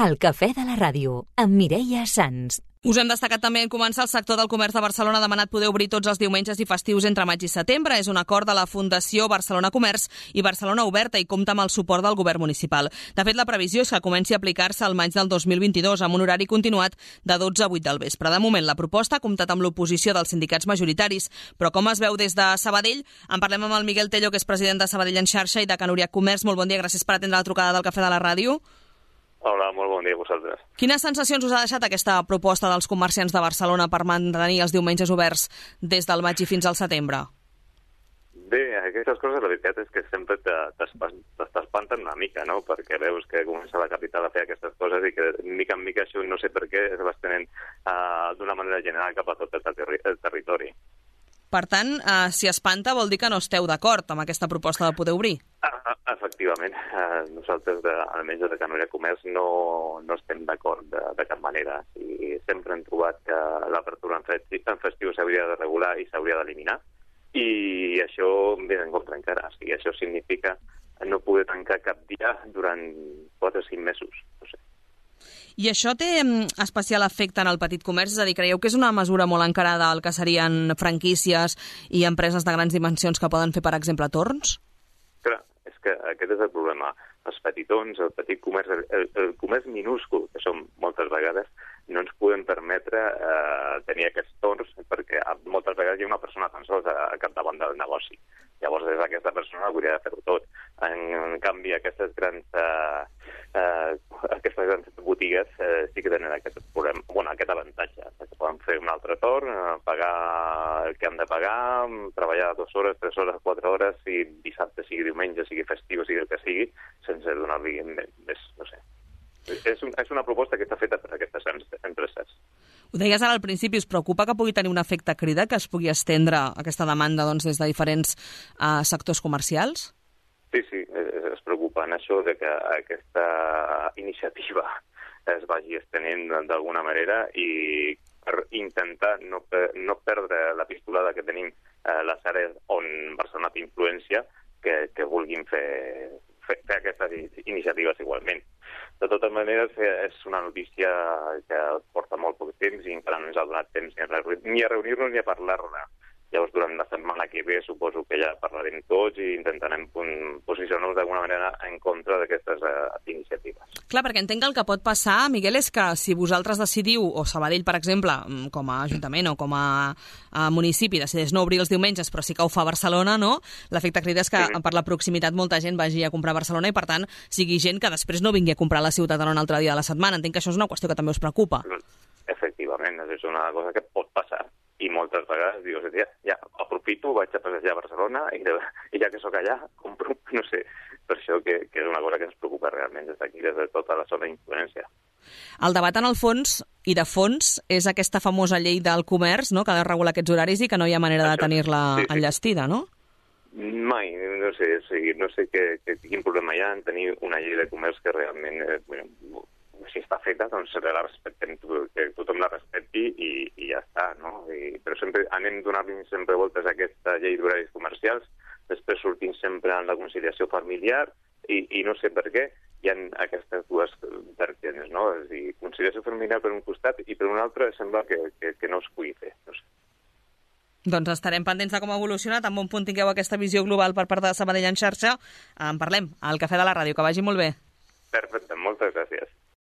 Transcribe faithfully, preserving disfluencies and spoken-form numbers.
El cafè de la ràdio, amb Mireia Sans. Us hem destacat també en començar el sector del comerç de Barcelona ha demanat poder obrir tots els diumenges i festius entre maig i setembre. És un acord de la Fundació Barcelona Comerç i Barcelona Oberta i compta amb el suport del govern municipal. De fet, la previsió és que comenci a aplicar-se al maig del dos mil vint-i-dos amb un horari continuat de dotze a vuit del vespre. De moment, la proposta ha comptat amb l'oposició dels sindicats majoritaris, però com es veu des de Sabadell, en parlem amb el Miguel Tello, que és president de Sabadell en xarxa, i de Can Uriach Comerç. Molt bon dia, gràcies per atendre la trucada del cafè de la ràdio. Hola, molt bon dia a vosaltres. Quines sensacions us ha deixat aquesta proposta dels comerciants de Barcelona per mantenir els diumenges oberts des del maig i fins al setembre? Bé, aquestes coses la veritat és que sempre t'espanten una mica, no? Perquè veus que comença la capital a fer aquestes coses i que mica en mica això no sé per què es va estenent uh, d'una manera general cap a tot el, terri el territori. Per tant, uh, si espanta vol dir que no esteu d'acord amb aquesta proposta de poder obrir? Ah, efectivament. Uh, nosaltres, de, almenys de Can Uriach Comerç, no, no estem d'acord de, de cap manera. I sempre hem trobat que l'apertura en, festi en festiu s'hauria de regular i s'hauria d'eliminar. I això ve en contra encara. O sigui, això significa no poder tancar cap dia durant quatre o cinc mesos. No sé. I això té especial efecte en el petit comerç? És a dir, creieu que és una mesura molt encarada al que serien franquícies i empreses de grans dimensions que poden fer, per exemple, torns? Clar, és que aquest és el problema. Els petitons, el petit comerç, el, el comerç minúscul, que som moltes vegades, no ens podem permetre eh, tenir aquests torns perquè moltes vegades hi ha una persona tan sols a, a capdavant del negoci. Llavors, és aquesta persona que hauria de fer-ho tot. En, en canvi, aquestes grans, eh, eh, aquestes grans botigues eh, sí que tenen aquest problema, bueno, aquest avantatge, que poden fer un altre torn, eh, pagar el que han de pagar, treballar dues hores, tres hores, quatre hores, si dissabte, sigui diumenge, sigui festiu, sigui el que sigui, sense donar-li més, no sé. És, un, és una proposta que està feta per aquestes empreses. Ho deies ara al principi, us preocupa que pugui tenir un efecte crida, que es pugui estendre aquesta demanda doncs, des de diferents uh, sectors comercials? Sí, sí, es preocupa en això de que aquesta iniciativa es vagi estenent d'alguna manera i per intentar no, per, no perdre la pistolada que tenim a les àrees on Barcelona té influència, que, que vulguin fer, fer, fer aquestes iniciatives igualment. De totes maneres, és una notícia que porta molt poc temps i encara no ens ha donat temps ni a reunir-nos ni a parlar-ne. Llavors, durant la setmana que ve, suposo que ja parlarem tots i intentarem posicionar-nos d'alguna manera en contra d'aquestes uh, iniciatives. Clar, perquè entenc que el que pot passar, Miguel, és que si vosaltres decidiu, o Sabadell, per exemple, com a ajuntament o com a, a municipi, decideix no obrir els diumenges, però sí que ho fa a Barcelona, no? L'efecte crida és que sí. Per la proximitat molta gent vagi a comprar a Barcelona i, per tant, sigui gent que després no vingui a comprar a la ciutat en un altre dia de la setmana. Entenc que això és una qüestió que també us preocupa. Efectivament, és una cosa que pot passar. I moltes vegades dius, ja, ja aprofito, vaig a passejar a Barcelona i, de, i ja que sóc allà, compro, no sé, per això que, que és una cosa que ens preocupa realment des d'aquí, des de tota la zona d'influència. El debat en el fons, i de fons, és aquesta famosa llei del comerç, no?, que ha de regular aquests horaris i que no hi ha manera això, de tenir-la sí, sí. enllestida, no? Mai, no sé, o sigui, no sé que, que, quin problema hi ha en tenir una llei de comerç que realment... Eh, bueno, si està feta, doncs la respectem, que tothom la respecti i, i ja està, no? I, però sempre anem donant sempre voltes a aquesta llei d'horaris comercials, després sortim sempre en la conciliació familiar i, i no sé per què hi ha aquestes dues vertients, no? És a dir, conciliació familiar per un costat i per un altre sembla que, que, que no es pugui fer, no sé. Doncs estarem pendents de com ha evolucionat. En bon punt tingueu aquesta visió global per part de Sabadell en xarxa. En parlem al Cafè de la Ràdio. Que vagi molt bé. Perfecte, moltes gràcies.